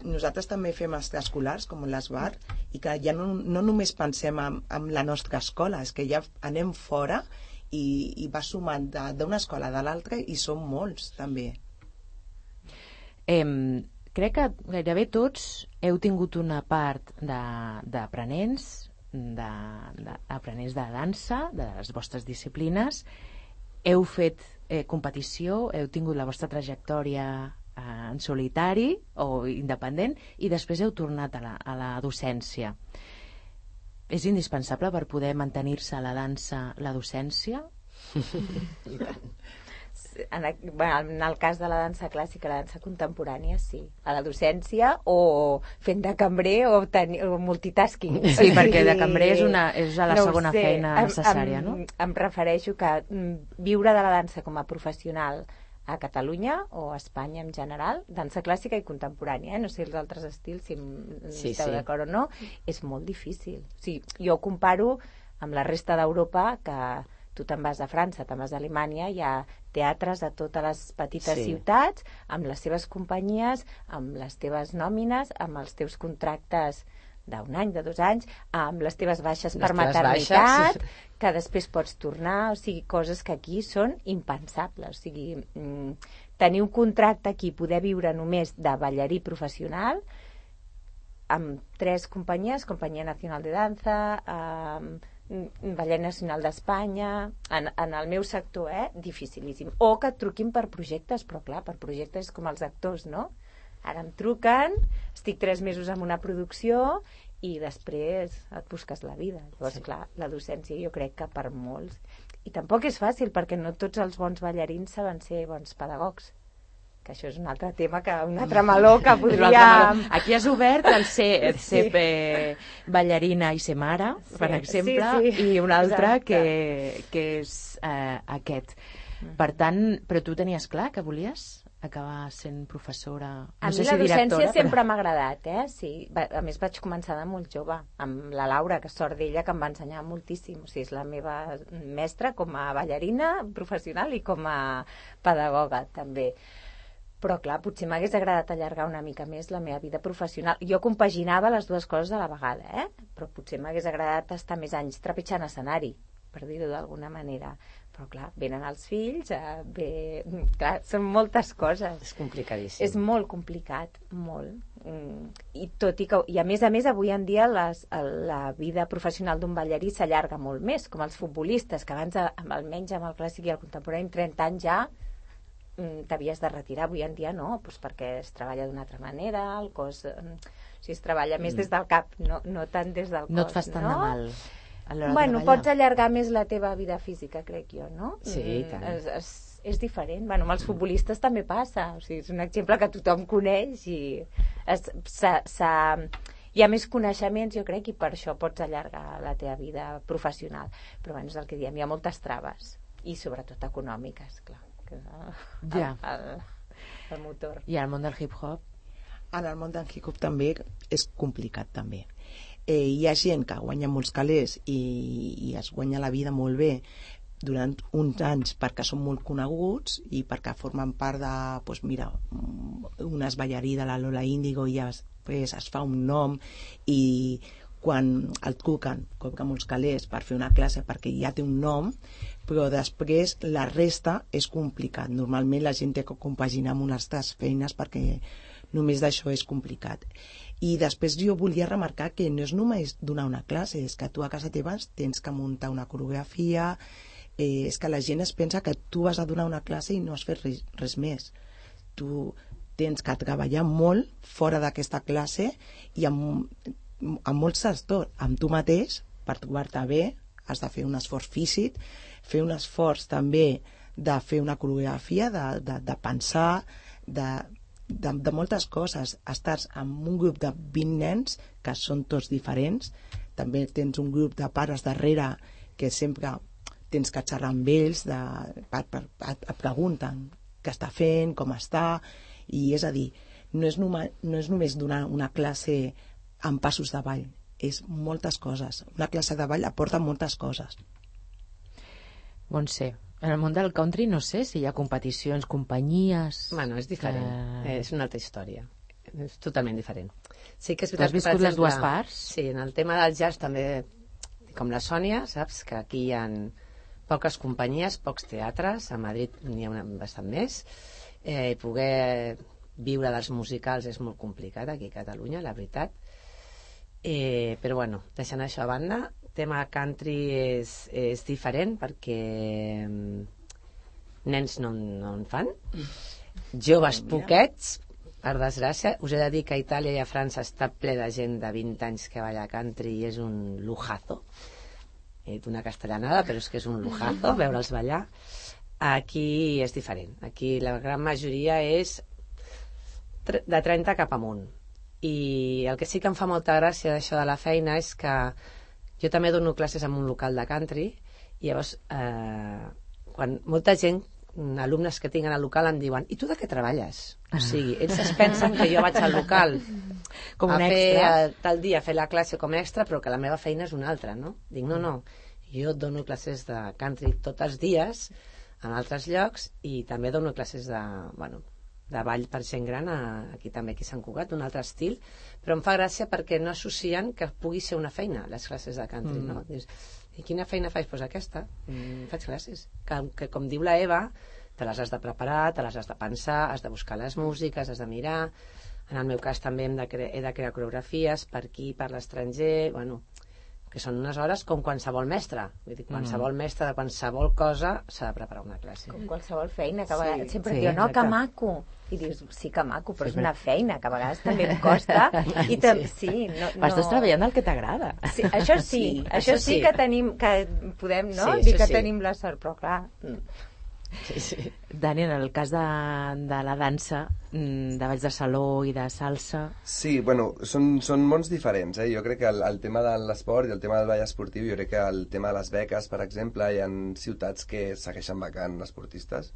Nosaltres també fem extraescolars, com l'Esbar, i que ja no, no només pensem en, en la nostra escola, és que ja anem fora i, i va sumant de- d'una escola a l'altra i són molts, també. Eh, crec que gairebé tots heu tingut una part de- d'aprenents, d'aprenents de, de dansa, de les vostres disciplines, heu fet eh, competició, heu tingut la vostra trajectòria eh, en solitari o independent i després heu tornat a la, a la docència. És indispensable per poder mantenir-se a la dansa la docència? En el, bueno, en el cas de la dansa clàssica, la dansa contemporània, sí. A la docència o fent de cambrer o, ten, o multitasking. Sí, perquè de cambrer és, una, és a la No ho segona sé. feina Em- necessària, em, no? Em refereixo que mm, viure de la dansa com a professional a Catalunya o a Espanya en general, dansa clàssica i contemporània, eh? No sé els altres estils, si em Sí, esteu sí. d'acord o no, és molt difícil. O sigui, jo ho comparo amb la resta d'Europa, que tu te'n vas a França, te'n vas a Alemanya, hi ha teatres a totes les petites Sí. ciutats, amb les seves companyies, amb les teves nòmines, amb els teus contractes d'un any, de dos anys, amb les teves baixes Les per teves maternitat, baixes. que després pots tornar, o sigui, coses que aquí són impensables. O sigui, mm, tenir un contracte aquí, poder viure només de ballarí professional, amb tres companyies, Companyia Nacional de Danza, amb Ballet Nacional d'Espanya, en, en el meu sector, eh, dificilíssim. O que et truquin per projectes, però clar, per projectes com els actors, no? Ara em truquen, estic tres mesos en una producció i després et busques la vida. Llavors, sí. Clar, la docència jo crec que per molts... I tampoc és fàcil, perquè no tots els bons ballarins saben ser bons pedagogs. Que això és un altre tema, que un altre meló que podria... Aquí has obert el ser, ser eh, ballarina i ser mare, Sí, per exemple, sí, sí. i un altre Exacte. que, que és eh, aquest. Per tant, però tu tenies clar que volies acabar sent professora? No A sé mi si la docència directora, sempre m'ha agradat, eh? Sí. Va- A més, vaig començar de molt jove, amb la Laura, que sort d'ella, que em va ensenyar moltíssim. O sigui, és la meva mestra com a ballarina professional i com a pedagoga, també. Però, clar, potser m'hagués agradat allargar una mica més la meva vida professional. Jo compaginava les dues coses a la vegada, eh? però potser m'hagués agradat estar més anys trepitjant escenari, per dir-ho d'alguna manera. Però clar, venen els fills, eh, ve... clar, són moltes coses. És complicadíssim. És molt complicat, molt. Mm. I tot i que, i a més a més, avui en dia les, la vida professional d'un ballarí s'allarga molt més, com els futbolistes, que abans, amb, almenys amb el clàssic i el contemporani, trenta anys ja mm, t'havies de retirar. Avui en dia no, doncs perquè es treballa d'una altra manera, el cos... Mm, o sigui, es treballa més Mm. des del cap, no, no tant des del cos. No et fas tant no? de mal a l'hora Bueno, de ballar. pots allargar més la teva vida física, crec jo, no? Sí, i Mm, tant. És, és, és diferent. Bueno, amb els futbolistes també passa. O sigui, és un exemple que tothom coneix i es, s'ha, s'ha, hi ha més coneixements, jo crec, i per això pots allargar la teva vida professional. Però bueno, és el que diem, hi ha moltes traves, i sobretot econòmiques, clar. Que és el, Ja. el, el, el motor. I al món del hip-hop? En el món del hip-hop també és complicat, també. Eh, hi ha gent que guanya molts calés i, i es guanya la vida molt bé durant uns anys perquè són molt coneguts i perquè formen part de, doncs mira, unes ballarí de la Lola Índigo i després es fa un nom i quan el truquen cobra molts calés per fer una classe perquè ja té un nom, però després la resta és complicat. Normalment la gent té que compaginar amb unes altres feines perquè només d'això és complicat. I després jo volia remarcar que no és només donar una classe, és que tu a casa teva tens que muntar una coreografia, eh, és que la gent es pensa que tu vas a donar una classe i no has fet res, res més. Tu tens que treballar molt fora d'aquesta classe i amb, amb molts sectors, amb tu mateix, per trobar-te bé, has de fer un esforç físic, fer un esforç també de fer una coreografia, de, de, de pensar, de... De, de moltes coses. Estàs amb un grup de vint nens que són tots diferents, també tens un grup de pares darrere que sempre tens que xerrar amb ells, de, per, per, et pregunten què està fent, com està, i és a dir, no és, numa, no és només donar una classe amb passos de ball, és moltes coses. Una classe de ball aporta moltes coses. Montse, en el món del country no sé si hi ha competicions, companyies... Bueno, és diferent, Eh, és una altra història. És totalment diferent. Sí que és Tu veritat has que, per viscut les exemple, dues parts? Sí, en el tema del jazz també, com la Sònia, saps que aquí hi ha poques companyies, pocs teatres, a Madrid n'hi ha una, bastant més, eh, i poder viure dels musicals és molt complicat aquí a Catalunya, la veritat. Eh, però bueno, deixant això a banda, tema country és, és diferent perquè mm, nens no, no en fan, joves poquets, per desgràcia. Us he de dir que a Itàlia i a França està ple de gent de vint anys que balla country i és un lujazo. He dit una castellanada, però és que és un lujazo veure'ls ballar. Aquí és diferent. Aquí la gran majoria és tre- de trenta cap amunt. I el que sí que em fa molta gràcia d'això de la feina és que jo també dono classes en un local de country i llavors eh, quan molta gent, alumnes que tinc al local em diuen, i tu de què treballes? O sigui, ells es pensen que jo vaig al local Com un a fer extra. eh, tal dia, a fer la classe com a extra, però que la meva feina és una altra, no? Dic, no, no, jo dono classes de country tots els dies en altres llocs i també dono classes de, bueno, de ball per gent gran a, aquí també, aquí a Sant Cugat, un altre estil, però em fa gràcia perquè no associen que pugui ser una feina les classes de country, Mm. no? Dius, i quina feina faig? Doncs pues aquesta, mm, faig classes que, que com diu la Eva, te les has de preparar, te les has de pensar, has de buscar les músiques, has de mirar. En el meu cas també hem de cre he de crear coreografies per aquí, per l'estranger, bueno, que són unes hores com qualsevol mestre. Vull dir, qualsevol Mm. mestre de qualsevol cosa s'ha de preparar una classe. Com qualsevol feina, que a Sí, vegades sempre sí, diu, no, que exacte. maco. I dius, sí que maco, però Sí, és una feina, que a vegades també em costa. I tam sí, no, no... Però estàs treballant el que t'agrada. Sí, això sí, Sí, això, això sí, sí. que tenim, que podem, no? Sí, Dir això que sí. tenim la sort, però clar... Sí, sí. Dani, en el cas de, de la dansa, mm, de balls de saló i de salsa... Sí, bueno, són, són mons diferents, eh? Jo crec que el, el tema de l'esport i el tema del ball esportiu, jo crec que el tema de les beques, per exemple, hi ha ciutats que segueixen becant esportistes.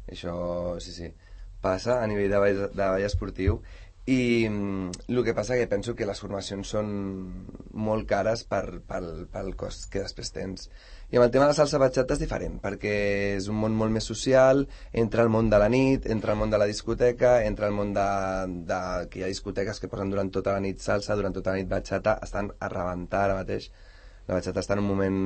Això, sí, sí, passa a nivell de ball, de ball esportiu. I mm, el que passa que penso que les formacions són, molt cares per, pel, pel cost que després tens. I amb el tema de la salsa bachata és diferent, perquè és un món molt més social, entra el món de la nit, entra el món de la discoteca, entra el món de, de que hi ha discoteques que posen durant tota la nit salsa, durant tota la nit bachata, estan a rebentar ara mateix. La bachata està en un moment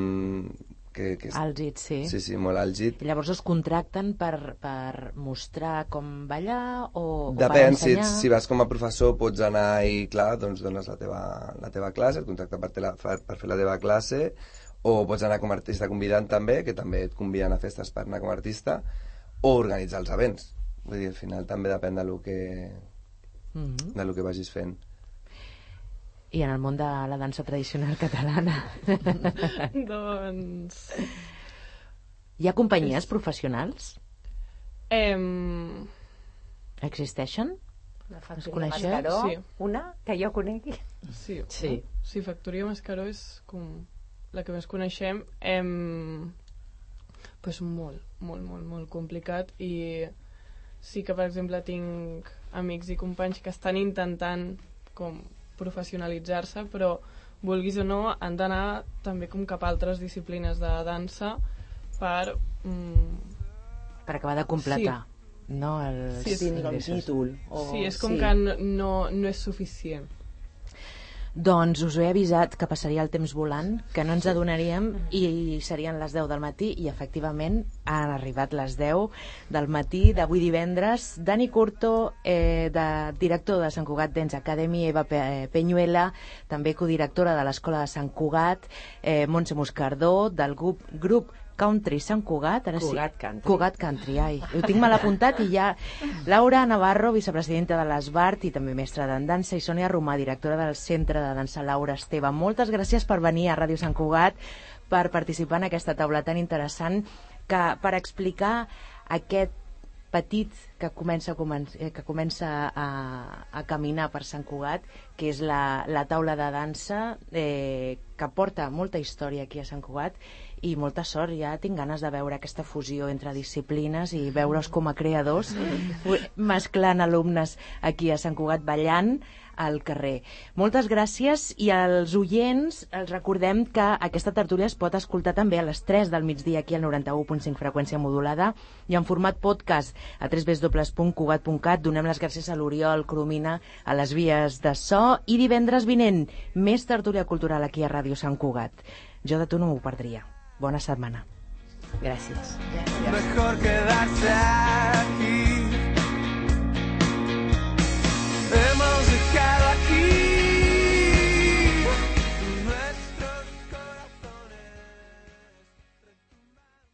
que, que és... Àlgid, sí. Sí, sí, molt àlgid. I llavors us contracten per, per mostrar com ballar o, o per Depèn, si, ensenyar? ets, si vas com a professor pots anar i, clar, doncs dones la teva, la teva classe, et contracten per, la, per fer la teva classe, o pots anar com a artista convidant també, que també et conviden a festes per anar com a artista, o organitzar els events. Vull dir, al final també depèn de lo que, mm-hmm. de lo que vagis fent. I en el món de la dansa tradicional catalana? Doncs... Hi ha companyies professionals? Em... Existeixen? La Es Factoria coneixeu? Mascaró, Sí. una que jo conegui. Sí, Sí. sí, Factoria Mascaró és com la que més coneixem. Em... Pues molt, molt, molt, molt complicat, i sí que, per exemple, tinc amics i companys que estan intentant com professionalitzar-se, però vulguis o no han d'anar també com cap a altres disciplines de dansa per... Mm, Per acabar de completar, no? El... Sí, sí. Tinc un títol. O... sí, és com sí. que no, no, no és suficient. Doncs us ho he avisat que passaria el temps volant, que no ens adonaríem, i serien les deu del matí, i efectivament han arribat les deu del matí d'avui divendres. Dani Curto, eh, de, director de Sant Cugat Dance Academy, Eva Pe Peñuela, també codirectora de l'Escola de Sant Cugat, eh, Montse Moscardó, del grup, grup Country Sant Cugat, ara Cugat sí. Country. Cugat Country, ai. Ho tinc mal apuntat i ja... Laura Navarro, vicepresidenta de l'Esbart i també mestra en dansa, i Sònia Romà, directora del Centre de Dansa Laura Esteve. Moltes gràcies per venir a Ràdio Sant Cugat, per participar en aquesta taula tan interessant, que per explicar aquest petit que comença, que comença a, a caminar per Sant Cugat, que és la, la taula de dansa, eh, que porta molta història aquí a Sant Cugat, i molta sort. Ja tinc ganes de veure aquesta fusió entre disciplines i veure's com a creadors mesclant alumnes aquí a Sant Cugat ballant al carrer. Moltes gràcies, i als oients els recordem que aquesta tertúlia es pot escoltar també a les tres del migdia aquí al noranta-u punt cinc freqüència modulada i en format podcast a w w w punt cugat punt cat. Donem les gràcies a l'Oriol Coromina a les vies de so, i divendres vinent més tertúlia cultural aquí a Ràdio Sant Cugat. Jo de tu no m'ho perdria. Bona setmana. Gràcies. Mejor quedarse